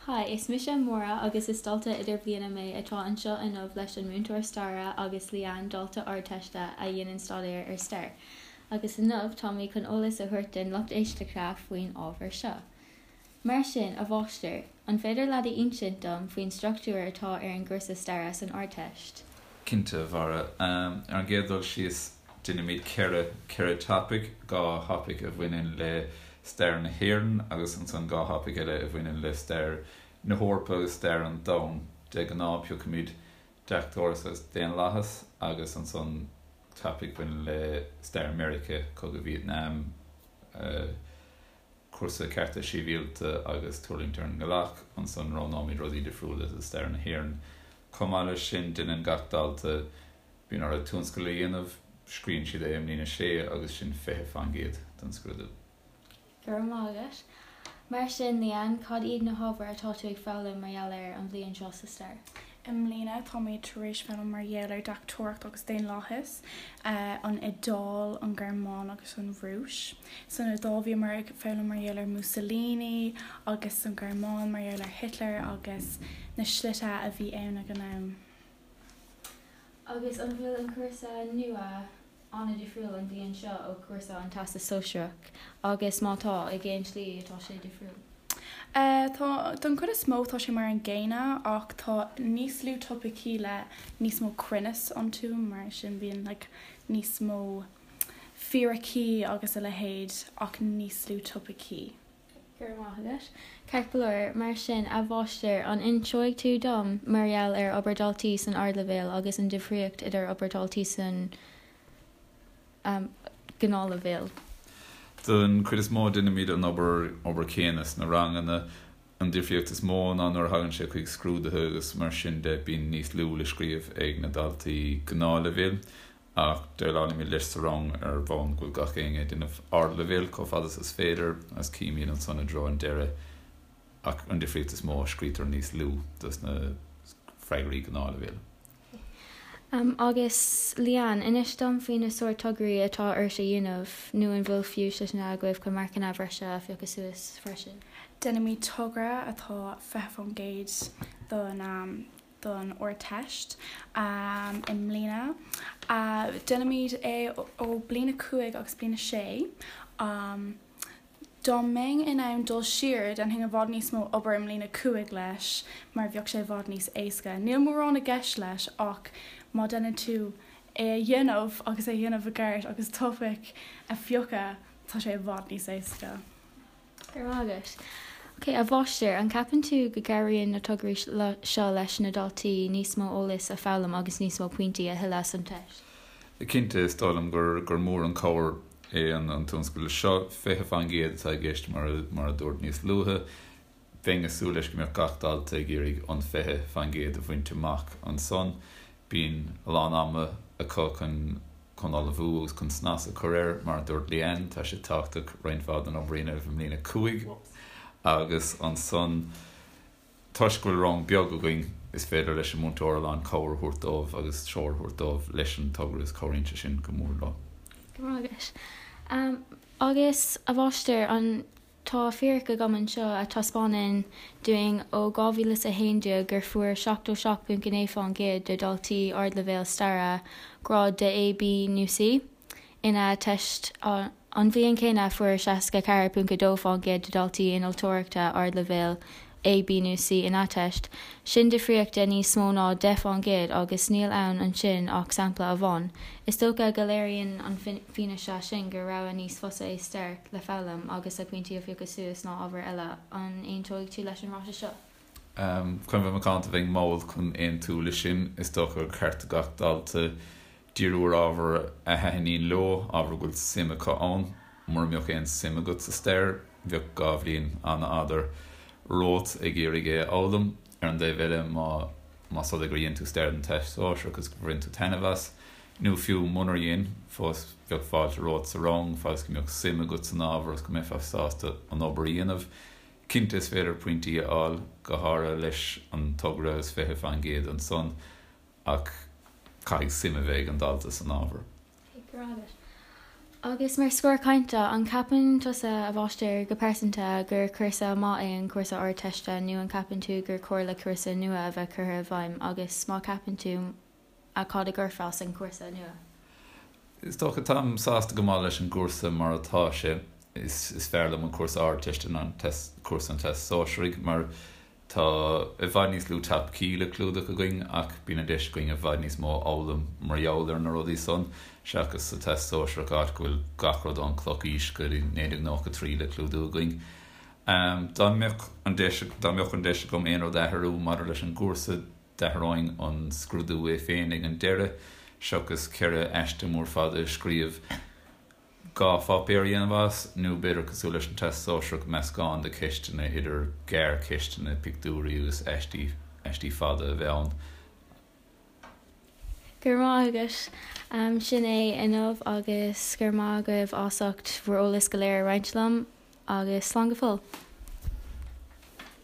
Hi, is mise Máire agus is dalta idirbhliana mé atá anseo inniu leis an múinteoir staire agus Leanne, dalta Ardteiste a dhéanann staidéar ar stair. Agus inniu tá mé chun eolas a thabhairt don lucht éisteachta faoin ábhar seo. Mar sin, a mháistir, an féidir leat a insint dom faoin struchtúr atá ar an gcúrsa staire san Ardteist? Cinnte, a Mháire. Ar an gcéad dul síos, déanaimid 4, 4 topaic, 2 thopaic a bhaineann le stair na hÉireann agus ansan 2 thopaic eile a bhaineann le stair na hEorpa agus stair an domhain. De ghnáth, piocaimid deachtóireacht agus daonlathas agus ansan topaic a bhaineann le stair Mheiriceá, Cogadh Vítneam, cúrsa cearta sibhialta agus tuirlingt ar an ngealach, ansan roghnóimid rudaí difriúla do stair na hÉireann. Chomh maith leis sin, déanann gach dalta, bíonn orthu tionscal a dhéanamh, scríobhann siad é i mbliain a sé agus sin 20% den scrúdú. Go raibh maith agat. Mar sin, Leanne, cad iad na hábhair atá tú ag foghlaim mar gheall air an bhliain seo sa stair? I mbliana táimid tar éis foghlaim mar gheall ar deachtóireacht agus daonlathas, an Iodáil, an Ghearmáin agus an Rúis. San Iodáil bhíomar ag foghlaim mar gheall ar Mussolini agus san Ghearmáin mar gheall ar Hitler agus na slite a bhí ann ag an am. Agus an bhfuil an cúrsa nua an-difriúil an bhliain seo ó chúrsa an Teastas Sóisearach agus má tá, i gcén tslí atá sé difriúil? Tá, don chuid is mó tá sé mar an gcéanna ach tá níos lú topaicí le níos mó cruinneas iontu mar sin bíonn like níos mó fíricí agus a leithéid ach níos lú topaicí. Go raibh maith agat. Ceart go leor, mar sin, a mháistir, an inseoidh tú dom mar gheall ar obair daltaí san ardleibhéal agus an difríocht idir obair daltaí san gnáthleibhéal? Don chuid is mó déanaimid an obair obair chéanna sna ranganna. An difríocht is mó ná nuair a thagann sé chuig scrúduithe agus mar sin de bíonn níos lú le scríobh ag na daltaí gnáthleibhéil. Ach déileálaimid leis sa rang ar bhonn go bhfuil gach éinne ag déanamh ardleibhéil chomh fada is is féidir agus címid ansan i dtreo an deireadh ach an difríocht is mó, scríobhtar níos lú dos na freagraí gnáthleibhéil. Agus Leanne, inis dom faoi na sórt tograí atá ort a dhéanamh, nó an bhfuil fiú seiseanna agaibh chun marcanna bhreise a phiocadh suas freisin? Déanaimid togra atá 20% don don Ardteist i mbliana. Déanaimid é ó bliain a 5 agus bliain a 6. Dá mbeinn in ann dul siar, déanfainn i bhfad níos mó obair i mbliain a 5 leis mar bheadh sé i bhfad níos éasca. Níl mórán i gceist leis ach má déanann tú é a dhéanamh agus é a dhéanamh i gceart agus topaic a phiocadh, tá sé i bhfad níos éasca. Go raibh maith agat. Ok, a mháistir, an gceapann tú go gcabhraíonn na tograí seo leis na daltaí níos mó eolais a foghlaim agus níos mó pointí a thuilleadh san teist? Cinnte, is dóigh liom gur gur mór an cabhair é an tionscadal seo. 20% atá i gceist mar mar a dúirt níos luaithe. Bheinn ag súil leis go mbeadh gach dalta ag iarraidh an 20% a bhaint amach ansan. Bíonn a lán ama acu chun chun ullmhú agus chun snas a chur air. Mar a dúirt Leanne, tá sé tábhachtach roinnt mhaith den obair a dhéanamh i mbliain 5 agus ansan toisc go bhfuil rang beag againn is féidir leis an múinteoir a lán cabhair a thabhairt dóibh agus treoir a thabhairt dóibh leis an togra agus cabhraíonn sé sin go mór leo. Go raibh maith agat. Agus, a mháistir, an Tá fíric agam anseo a taispeánann dúinn ó 2011 gur fuair 77.9% de dhaltaí ardleibhéil staire grád de A, B nó C ina teist. An bhliain chéanna fuair 64.2% de dhaltaí innealtóireachta ardleibhéil A, B nó C ina teist. Sin difríocht de níos mó ná 10% agus níl ann ansin ach sampla amháin. Is dócha go léiríonn an fianaise sin gur rogha níos fusa é stair le foghlaim agus le pointí a phiocadh suas ná ábhair eile. An aontóidh tú leis an ráiteas seo? Chun bheith macánta bheinn mall chun aontú leis sin. Is dócha gur ceart do gach dalta díriú ar ábhar a thaitníonn leo, ábhar a bhfuil suim acu ann. Mura mbeadh aon suim agat sa stair, bheadh 2 bhliain an-fhada romhat ag iarraidh é a fhoghlaim. Ar an dtaobh eile, má más rud é gur dhein tú stair don Teastas Sóisearach agus gur bhain tú taitneamh as, nó fiú munar dhein, fós bheadh fáilte romhat sa rang, fad is go mbeadh suim agat san ábhar agus go mbeifeá sásta an obair a dhéanamh. Cinnte is féidir pointí a fháil, go háirithe leis an togra agus 20% ansan, ach caithfidh suim a bheith ag an dalta san ábhar. Go raibh maith agat. Agus mar scor cainte, an gceapann tusa, a mháistir, go pearsanta, gur cúrsa maith é an cúrsa Ardteiste nó an gceapann tú gur chóir le cúrsa nua a bheith curtha i bhfeidhm agus má cheapann tú, cad a gcuirfeá san chúrsa nua? Is dócha, táim sásta go maith leis an gcúrsa mar atá sé. Is fearr liom an cúrsa Ardteiste ná an cúrsa an Teastais Sóisearaigh mar Tá i bhfad níos lú topaicí le clúdach againn ach bíonn an deis againn i bhfad níos mó a fhoghlaim mar gheall ar na rudaí san, seachas sa Teastas Sóisearach áit go bhfuil gach rud ón Clochaois go dtí 1993 le clúdú againn. Dá mbeadh an deis dá mbeadh an deis agam aon rud a athrú maidir leis an gcúrsa, d'athróinn an scrúdú é féin ag an deireadh, seachas 4 aiste mór fada a scríobh. 2 pháipéar a dhéanamh as, nó b'fhéidir cosúil leis an Teastas Sóisearach, meascán de cheisteanna, idir gearrcheisteanna, pictiúirí agus aistí, aistí fada a bheith ann. Go raibh maith agat. Sin é inniu agus go raibh maith agaibh as ucht bhur eolas go léir a roinnt liom agus slán go fóill.